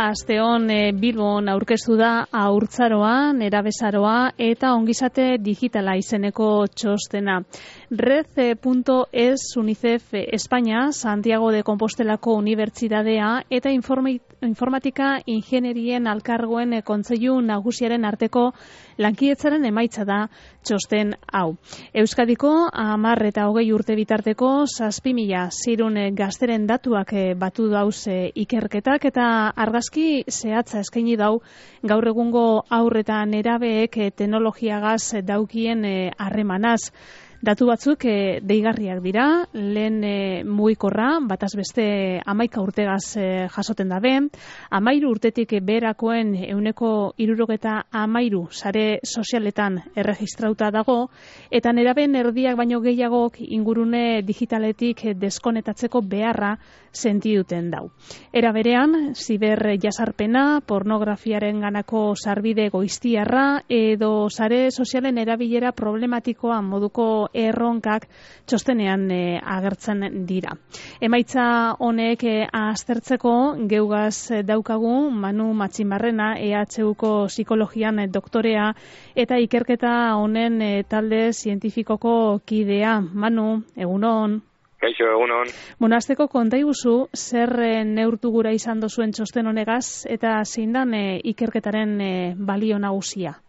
Asteon Bilbon aurkeztu da haurtzaroa, nerabezaroa eta ongizate digitala izeneko txostena. Red.es UNICEF España, Santiago de Compostelako Unibertsitatea eta informatika ingenierien alkargoen kontseilu nagusiaren arteko lankietzaren emaitza da txosten hau. Euskadiko 10 eta 20 urte bitarteko 7.000 gazteren datuak batu dauz ikerketak eta argazki zehatza eskaini dau gaur egungo haur eta nerabeek teknologiagaz daukien harremanaz. Datu batzuk deigarriak dira, lehen mugikorra, bataz beste 11 urtegaz jasoten dabe, 13 urtetik beherakoen 73 sare sozialetan erregistrauta dago, eta nerabeen erdiak baino gehiagok ingurune digitaletik deskonetatzeko beharra sentiduten dau. Era berean, ziber jasarpena, pornografiaren ganako sarbide goiztiarra, edo sare sozialen erabilera problematikoa moduko erronkak txostenean agertzen dira. Emaitza honek aztertzeko geugaz daukagu Manu Matxinbarrena, EHUko psikologian doktorea eta ikerketa honen talde zientifikoko kidea. Manu, egunon. Kaixo, egunon. Azteko konta iguzu, zer neurtu gura izan dozuen txosten honegaz eta zein dan ikerketaren balio nagusia?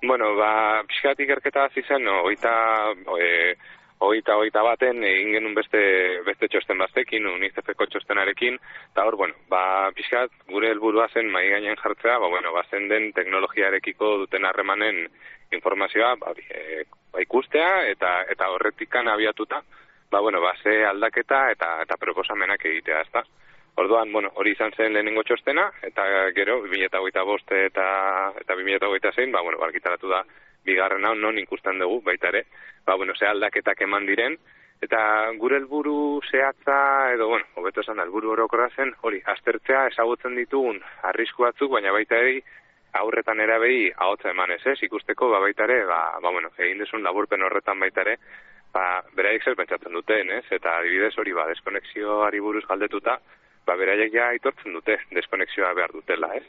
Bueno, pixkat ikerketa hasi zen, hogeita baten egin genuen beste txosten baztekin, UNICEFeko txostenarekin, eta hor, pixkat gure helburua zen mahai gainean jartzea, zen den teknologiarekiko duten harremanen informazioa ikustea eta horretikan abiatuta, ze aldaketa eta proposamenak egitea, ezta? Orduan, hori izan zen lehenengo txostena, eta gero, 2025 eta 2026, argitaratu da bigarren hau non ikusten dugu, baita ere, ze aldaketak eman diren, eta gure helburu zehatza, edo, hobeto esan da, helburu orokorra zen, hori, aztertzea ezagutzen ditugun arrisku batzuk, baina baita ere, aurretan erabei ahotza emanez, ikusteko, baita ere, egin desun laburpen horretan baita ere, beraiek zer pentsatzen duten, eta adibidez hori, deskonexioari buruz galdetuta, beraiek ja aitortzen dute deskonexioa behar dutela, ez?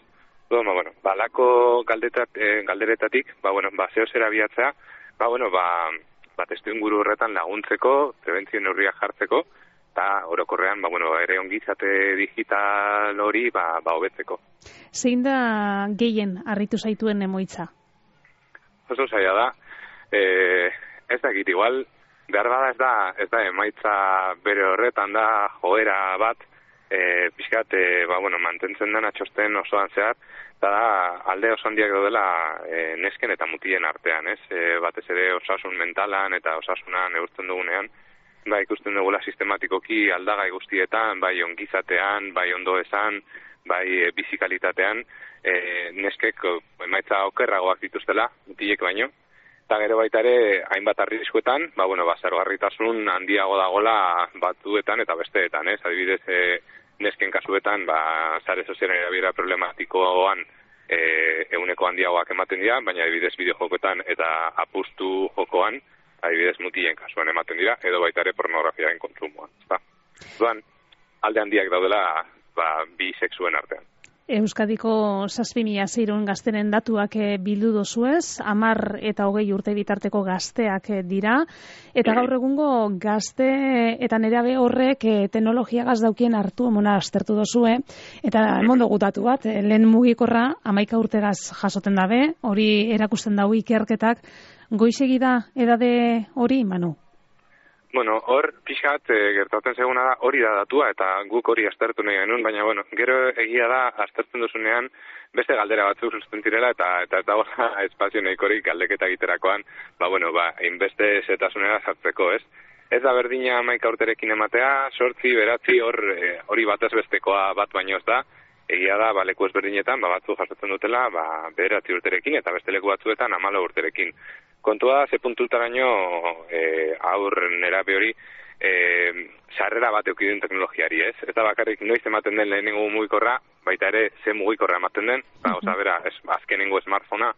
Balako galderetatik, zeo zer abiatzea, testu inguru horretan laguntzeko, prebentzio neurriak jartzeko, eta orokorrean, ere ongizate digital hori, hobetzeko. Zein da gehien harritu zaituen emoitza? Oso zaila da, ez dakit, igual, behar bada ez da emaitza bere horretan da joera bat, pixkat, mantentzen dena txosten osoan zehar, eta da alde oso handiak daudela nesken eta mutilen artean, ez? Batez ere osasun mentalan eta osasunan neurtzen dugunean, ikusten dugula sistematikoki aldagai guztietan, bai ongizatean, bai ondo esan, bai bizikalitatean, neskek emaitza okerragoak dituztela, mutilek baino, eta gero baita ere, hainbat arriskuetan, zaurgarritasun handiago dagola batzuetan eta besteetan, ez? Adibidez, nesken kasuetan, sare sozialen erabilera problematikoan eguneko handiagoak ematen dira, baina adibidez bideojokoetan eta apustu jokoan, adibidez mutilen kasuan ematen dira, edo baita ere pornografiaren kontsumoan. Duan, alde handiak daudela bi sexuen artean. Euskadiko 7.000 gazteren datuak bildu dozuez, 10 eta 20 urte bitarteko gazteak dira, eta gaur egungo gazte eta nerabe horrek teknologiagaz daukien hartu emona aztertu dozue, eta emondo gutatu bat, lehen mugikorra 11 urtegaz jasoten dabe, hori erakusten dau ikerketak, goizegi da edade hori, Manu? Hor pixkat gertatzen zeguna da hori da datua eta guk hori aztertu nahi genuen, baina gero egia da aztertzen duzunean beste galdera batzuk susten direla eta ez dago espazio nahikorik galdeketa egiterakoan, hainbeste zetasunera sartzeko, ez? Ez da berdina 11 urterekin ematea, 8, 9, hori batez bestekoa bat baino ez da, egia da leku ezberdinetan batzuk jasotzen dutela 9 urterekin eta beste leku batzuetan 14 urterekin. Kontua da, ze puntutaraino aur nerabe hori sarrera bat eukidun teknologiari, ez? Ez da bakarrik noiz ematen den lehenengo mugikorra, baita ere ze mugikorra ematen den, azkenengo smartphonea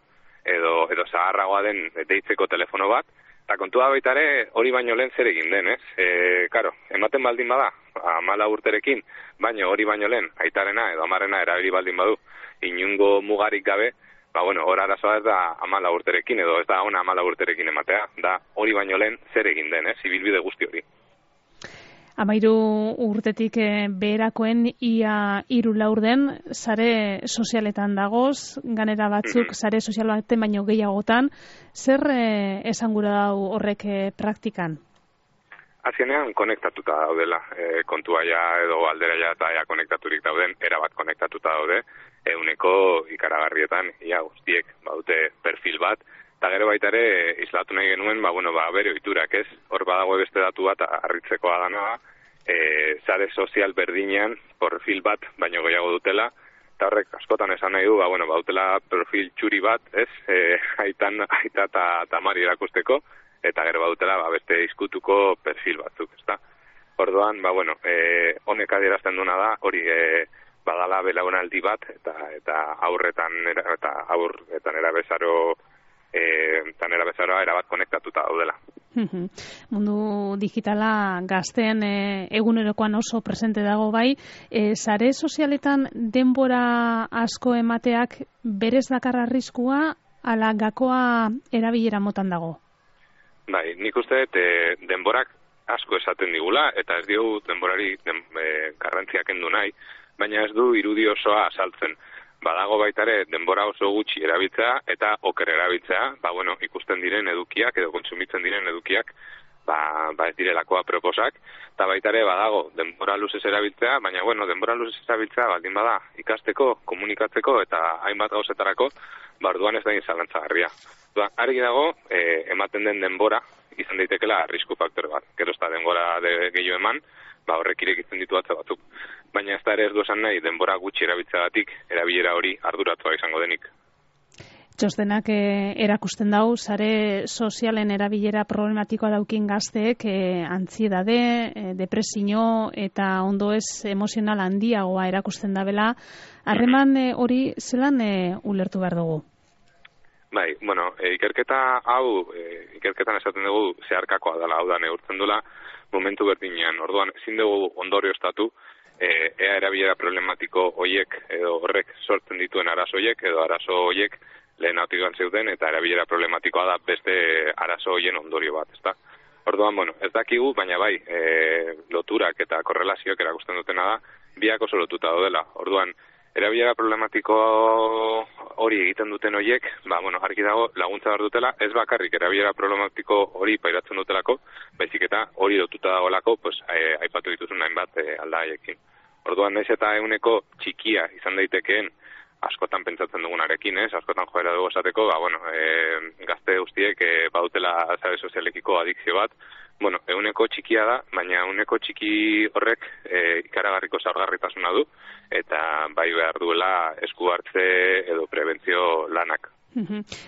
edo zaharragoa den deitzeko telefono bat, eta kontua baita ere hori baino lehen zer egin den, ez? Ematen baldin bada, 14 urterekin, baina hori baino lehen, aitarena edo amarena erabili baldin badu, inungo mugarik gabe, hor arazoa ez da 14 urterekin, edo ez da ona 14 urterekin ematea, da hori baino lehen zer egin den, ibilbide guzti hori. 13 urtetik beherakoen ia 3 laurden sare sozialetan dagoz, ganera batzuk sare sozial baten baino gehiagotan, zer esangura dau horrek praktikan? Azkenean konektatuta daudela, kontua ja edo aldera ja eta ja konektaturik dauden, erabat konektatuta daude, euneko ikaragarrietan, ia guztiek baute perfil bat, eta gero baita ere islatu nahi genuen, bere ohiturak ez, hor badago beste datu bat harritzekoa dana, sare sozial berdinean perfil bat baino gehiago dutela, eta horrek askotan esan nahi du, bautela perfil txuri bat, ez, aita eta amari erakusteko, eta gero badutela beste izkutuko perfil batzuk, ezta. Orduan, honek adierazten duna da, hori badala belaunaldi bat, eta aurretan erabezaroa erabat konektatuta daudela. Mundu digitala gazteen egunerokoan oso presente dago bai, sare sozialetan denbora asko emateak berez dakar arriskua ala gakoa erabilera motan dago? Bai, nik uste denborak asko esaten digula, eta ez diogu denborari garrantzia kendu nahi, baina ez du irudi osoa azaltzen. Badago baitare denbora oso gutxi erabiltzea eta oker erabiltzea, ikusten diren edukiak edo kontsumitzen diren edukiak, ez direlakoa proposak, eta baitare badago denbora luzez erabiltzea, baina denbora luzez erabiltzea baldin bada ikasteko, komunikatzeko eta hainbat gauzetarako, orduan ez da zalantzagarria. Argi dago, ematen den denbora izan daitekela arrisku faktore bat. Gero ez da denbora gehiago eman, horrek irekitzen ditu atze batzuk. Baina ez da ere ez du esan nahi denbora gutxi erabiltzeagatik erabilera hori arduratua izango denik. Txostenak erakusten dau, sare sozialen erabilera problematikoa daukin gazteek antziedade, depresio eta ondoez emozional handiagoa erakusten dabela. Harreman hori zelan ulertu behar dugu? Bai, ikerketa hau, ikerketan esaten dugu zeharkakoa dela, hau da neurtzen dula momentu berdinean. Orduan, ezin dugu ondorioztatu, ea erabilera problematiko hoiek edo horrek sortzen dituen arazo hoiek edo arazo hoiek lehen autigan zeuden eta erabilera problematikoa da beste arazo hoien ondorio bat, ezta? Orduan, ez dakigu, baina bai, loturak eta korrelazioak erakusten dutena da, biak oso lotuta daudela. Orduan, erabilera problematiko hori egiten duten hoiek, argi dago laguntza behar dutela, ez bakarrik erabilera problematiko hori pairatzen dutelako, baizik eta hori lotuta dagoelako, aipatu dituzun hainbat aldaiekin. Orduan, naiz eta eguneko txikia izan daitekeen askotan pentsatzen dugunarekin, askotan joera dugu esateko, gazte guztiek badutela sare sozialekiko adikzio bat, eguneko txikia da, baina eguneko txiki horrek ikaragarriko zaurgarritasuna du, eta bai behar duela esku hartze edo prebentzio lanak.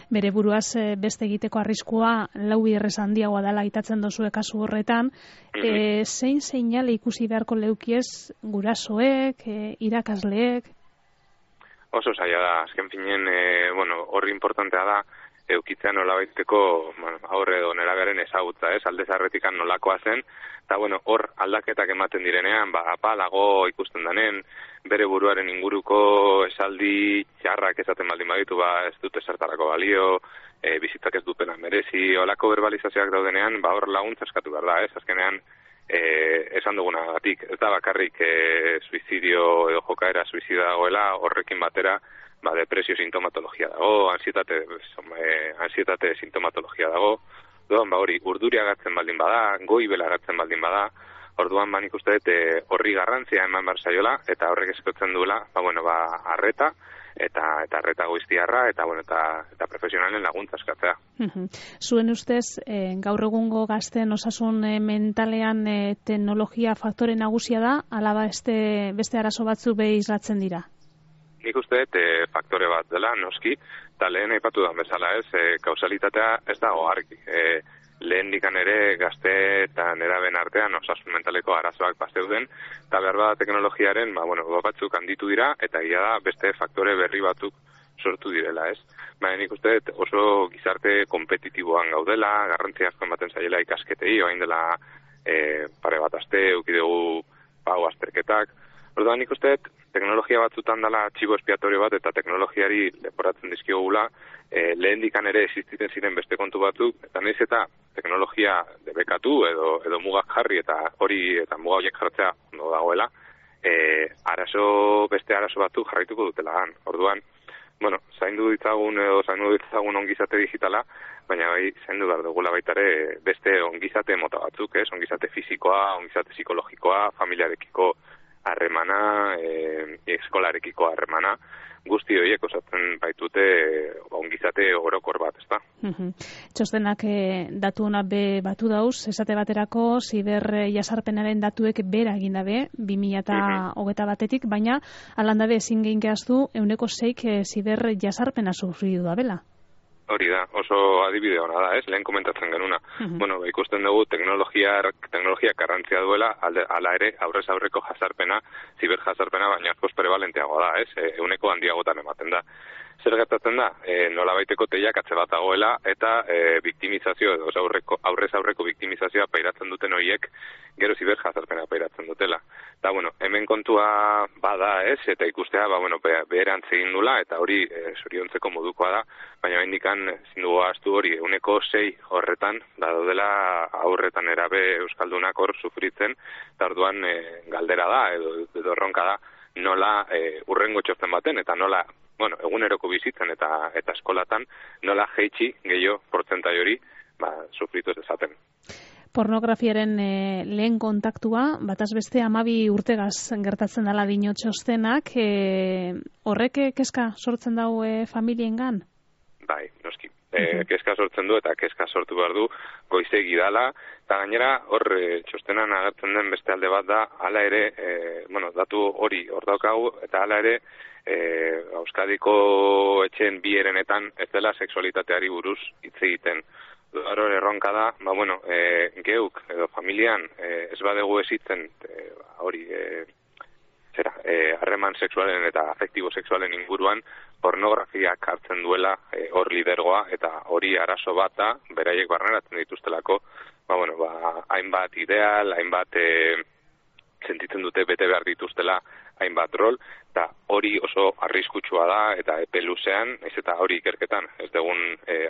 Bere buruaz beste egiteko arriskua lau biderrez handiagoa dela aitatzen dozue kasu horretan. Zein seinale ikusi beharko leukiez gurasoek, irakasleek? Oso zaila da, azken finen, horri importantea da, eukitzea nolabaiteko aurre edo nerabearen ezagutza, alde zarretikan nolakoa zen, eta hor aldaketak ematen direnean, apalago ikusten danen, bere buruaren inguruko esaldi txarrak esaten baldin baditu, ez dute zertarako balio, bizitzak ez dupena merezi, olako verbalizazioak daudenean, hor laguntza eskatu behar da, azkenean, esan dugunagatik, ez da bakarrik suizidio edo jokaera suizida dagoela, horrekin batera depresio sintomatologia dago, ansietate sintomatologia dago, hori urduri agatzen baldin bada, goibela agatzen baldin bada, orduan nik uste dut horri garrantzia eman behar zaiola, eta horrek eskatzen duela, arreta, eta arreta goiztiarra, eta profesionalen laguntza eskatzea. Zuen ustez, gaur egungo gazten osasun mentalean teknologia faktore nagusia da, ala beste arazo batzu behi islatzen dira? Nik uste faktore bat dela, noski, eta lehen aipatu da bezala kausalitatea ez dago argi. Lehen dikan ere gazte eta neraben artean osasun mentaleko arazoak bazeuden, eta behar bada teknologiaren batzuk handitu dira, eta ia da beste faktore berri batzuk sortu direla, ez? Baina nik uste oso gizarte kompetitiboan gaudela, garrantzia asko ematen zaiela ikasketei, oain dela pare bat aste, eukidegu pago azterketak. Orduan nik uste teknologia batzutan dela txibo espiatorio bat eta teknologiari leporatzen dizkiogula lehendikan ere existiten ziren beste kontu batzuk, eta nahiz eta teknologia debekatu edo mugak jarri eta hori eta muga horiek jartzea ondo dagoela, beste arazo batzuk jarraituko dutela. Orduan, bueno, zaindu ditzagun ongizate digitala, baina bai zaindu behar dugula baita ere beste ongizate mota batzuk, ongizate fisikoa, ongizate psikologikoa, familiarekiko harremana, eskolarekiko harremana, guzti horiek osatzen baitute ongizate orokor bat, ezta? Txostenak datu hona be batu dauz, esate baterako ziber jasarpenaren datuek bera egin dabe, 2021 baina alandabe ezin gehin gehaztu 6% ziber jasarpena sufridu da bela. Hori da, oso adibide hona da, lehen komentatzen genuna. Bueno, ikusten dugu teknologia garrantzia duela, ala ere aurrez aurreko jasarpena, ziber jasarpena, baina askoz prevalenteagoa da, 100 handiagotan ematen da. Zer gertatzen da? Nolabaiteko teilak atze bat dagoela eta biktimizazio edo aurrez aurreko biktimizazioa pairatzen duten horiek gero ziber jasarpena pairatzen dutela. Eta, bueno, hemen kontua bada, eta ikustea, beherantz egin dula, eta hori zoriontzeko modukoa da, baina bendikan zindugu ahaztu hori 6% horretan, daudela aurretan erabe euskaldunak hor sufritzen, eta orduan galdera da, edo erronka da, nola urrengo txosten baten, eta nola eguneroko bizitzen eta eskolatan nola jeitsi gehiago portzentai hori sufritu ez dezaten. Pornografiaren lehen kontaktua, bataz beste 12 urtegaz gertatzen dela dio txostenak, horrek kezka sortzen dau familiengan? Bai, noski. Kezka sortzen du eta kezka sortu behar du goizegi dala, eta gainera hor txostenan agertzen den beste alde bat da, hala ere, datu hori hor daukagu, eta hala ere, Euskadiko etxeen bi herenetan ez dela sexualitateari buruz hitz egiten. Hor erronka da, geuk edo familian ez badegu ezitzen hori harreman sexualen eta afektibo sexualen inguruan pornografiak hartzen duela hor lidergoa eta hori arazo bat da, beraiek barneratzen dituztelako, hainbat ideal, hainbat sentitzen dute bete behar dituztela hainbat rol, eta hori oso arriskutsua da, eta epe luzean, eta hori ikerketan, ez dugun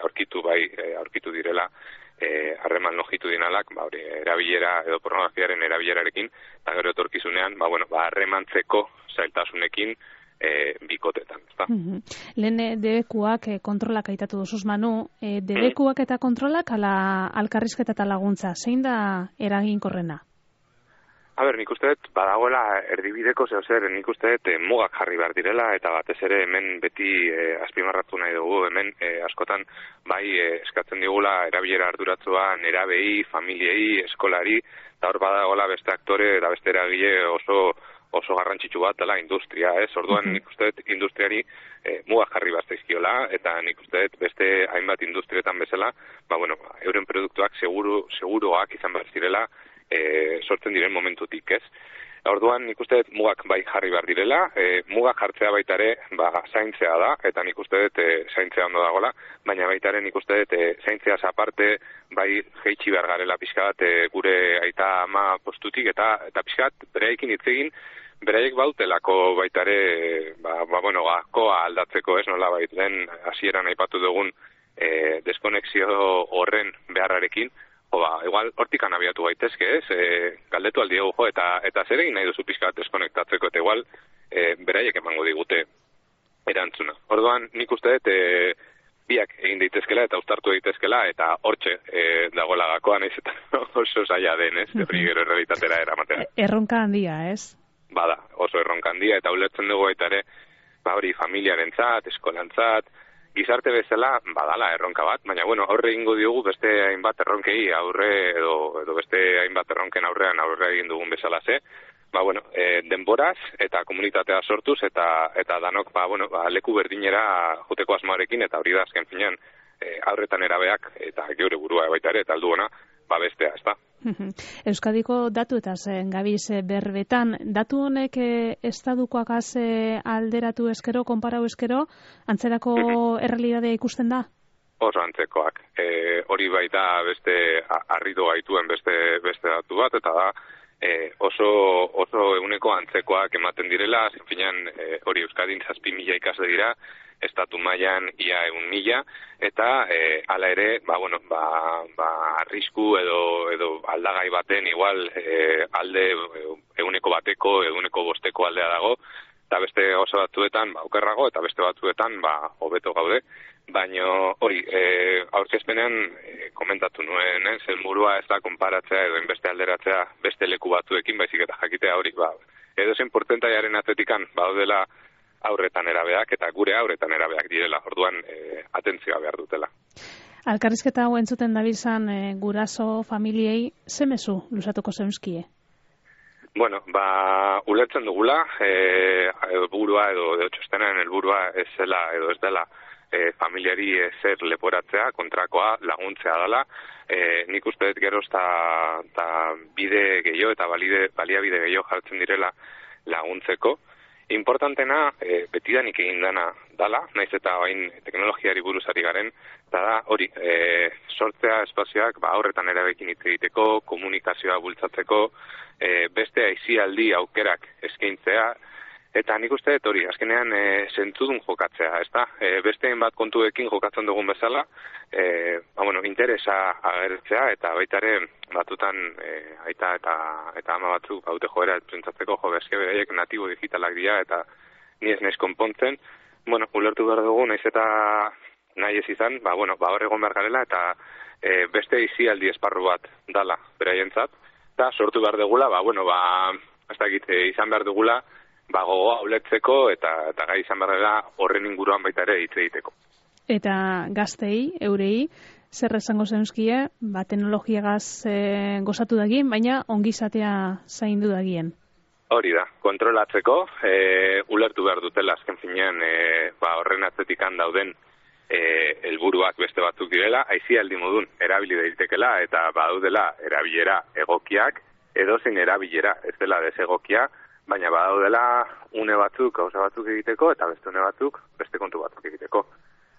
aurkitu direla, harreman lojitu dinalak, erabilera edo pornografiaren erabilerarekin, eta gero etorkizunean, harremantzeko zailtasunekin bikotetan. Lehen debekuak kontrolak aitatu duzuz, Manu, debekuak eta kontrolak ala alkarrizketa eta laguntza, zein da eraginkorrena? Nik uste dut, badagoela erdibideko zer, nik uste dut mugak jarri behar direla, eta batez ere hemen beti azpimarratu nahi dugu, hemen askotan eskatzen digula erabilera arduratzua nerabei, familiei, eskolari, eta hor badagoela beste aktore eta beste eragile oso garrantzitsu bat dela industria, Orduan nik uste dut industriari mugak jarri behar zaizkiola, eta nik uste dut beste hainbat industrietan bezala, euren produktuak seguruak izan behar zirela, sortzen diren momentutik, Orduan nik uste dut mugak jarri behar direla, mugak jartzea baita ere zaintzea da, eta nik uste dut zaintzea ondo dagoela, baina baita ere nik uste dut zaintzeaz aparte jeitsi behar garela pixka bat gure aita ama postutik, eta pixka bat bereekin hitz egin, beraiek bautelako baita ere gakoa aldatzeko, nola lehen hasieran aipatu dugun deskonexio horren beharrarekin, igual hortikan abiatu gaitezke, galdetu aldiegu eta zer egin nahi duzu pixka deskonektatzeko, eta igual beraiek emango digute erantzuna. Orduan nik uste dut biak egin daitezkela eta uztartu daitezkela, eta hortxe dagoela gakoa, nahiz eta oso zaila den, hori gero errealitatera eramatea. Erronka handia, Bada, oso erronka handia, eta ulertzen dugu eta ere, hori familiarentzat, eskolantzat, gizarte bezala badala erronka bat, baina aurre egingo diogu beste hainbat erronkei aurre edo beste hainbat erronken aurre egin dugun bezala denboraz eta komunitatea sortuz eta danok leku berdinera joteko asmoarekin, eta hori da azken finean aurretan erabeak eta geure burua baita ere eta aldu ona bestea, ezta. Euskadiko datuetaz gabiz berbetan, datu honek estadukoakaz alderatu eskero, konparau eskero, antzerako errealitatea ikusten da? Oso antzekoak. Hori baita beste harritu gaituen beste datu bat, eta da oso eguneko antzekoak ematen direla, zenfinean hori Euskadin 7.000 ikasle dira, estatu mailan ia 1.000, eta hala ere, arrisku edo aldagai baten igual alde eguneko bateko, eguneko bosteko aldea dago, eta beste oso batzuetan okerrago, eta beste batzuetan hobeto gaude. Baina hori, aurkezpenean komentatu nuen, helburua ez da konparatzea edo inbeste alderatzea beste leku batzuekin, baizik eta jakitea hori, edo zen portentaiaren atzetikan daudela aurretan erabeak, eta gure aurretan erabeak direla, orduan atentzioa behar dutela. Elkarrizketa hau entzuten dabilzan guraso familiei, ze mezu luzatuko zeuzkie? Bueno, ulertzen dugula, helburua edo txostenaren helburua ez zela edo ez dela familiari zer leporatzea, kontrakoa laguntzea dela. Nik uste dut geroz eta bide gehiago eta baliabide gehiago jartzen direla laguntzeko. Importantena, betidanik egin dala, naiz eta bain teknologiari buruzari garen, eta da hori, sortzea espazioak aurretan erabekin hitz egiteko, komunikazioa bultzatzeko, beste aisialdi aukerak eskaintzea, eta nik uste dut hori, azkenean zentzudun jokatzea, ez da? Besteen bat kontuekin jokatzen dugun bezala, interesa agertzea, eta baita ere batutan aita eta ama batzuk haute joera pentsatzeko eske beraiek natibo digitalak dira, eta ni ez naiz konpontzen. Ulertu behar dugu, naiz eta nahi ez izan, hor egon behar garela, eta beste izialdi esparru bat dala beraientzat, eta sortu behar dugula, ez dakit, izan behar dugula, gogoa ulertzeko eta gai izan behar dela horren inguruan baita ere hitz egiteko. Eta gaztei, eurei, zer esango zeuzkie, teknologiagaz gozatu dagien, baina ongizatea zaindu dagien. Hori da, kontrolatzeko, ulertu behar dutela azken finean horren atzetikan dauden helburuak beste batzuk direla, aisialdi modun erabili daitekela eta badaudela erabilera egokiak, edozein erabilera ez dela desegokia, baina badaudela une batzuk, gauza batzuk egiteko, eta beste une batzuk, beste kontu batzuk egiteko.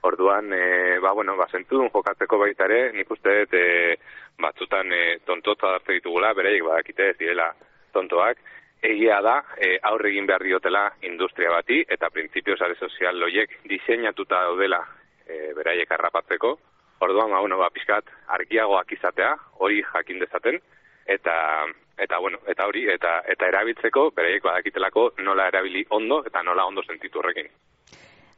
Orduan, zentzudun jokatzeko baita ere, nik uste dut batzutan tontotza dartze ditugula, beraiek badakite ez direla tontoak. Egia da, aurre egin behar diotela industria bati, eta printzipio sare sozial loiek diseinatuta daudela beraiek harrapatzeko. Orduan, pixkat argiagoak izatea, hori jakin dezaten, eta hori, eta erabiltzeko, beraiek badakitelako nola erabili ondo, eta nola ondo sentitu horrekin.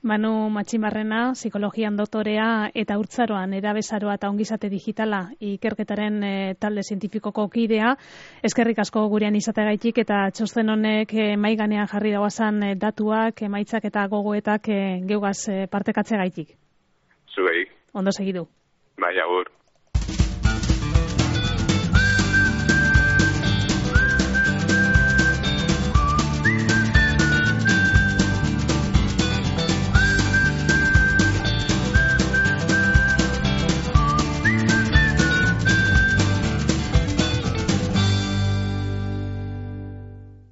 Manu Matximarrena, psikologian doktorea eta Urtzaroan erabezaroa eta ongizate digitala ikerketaren talde zientifikoko kidea. Eskerrik asko gurean izateagaitik eta txosten honek mahai gainean jarri dauazan datuak, emaitzak eta gogoetak geugaz partekatzeagaitik. Zuei. Ondo segidu. Bai, agur.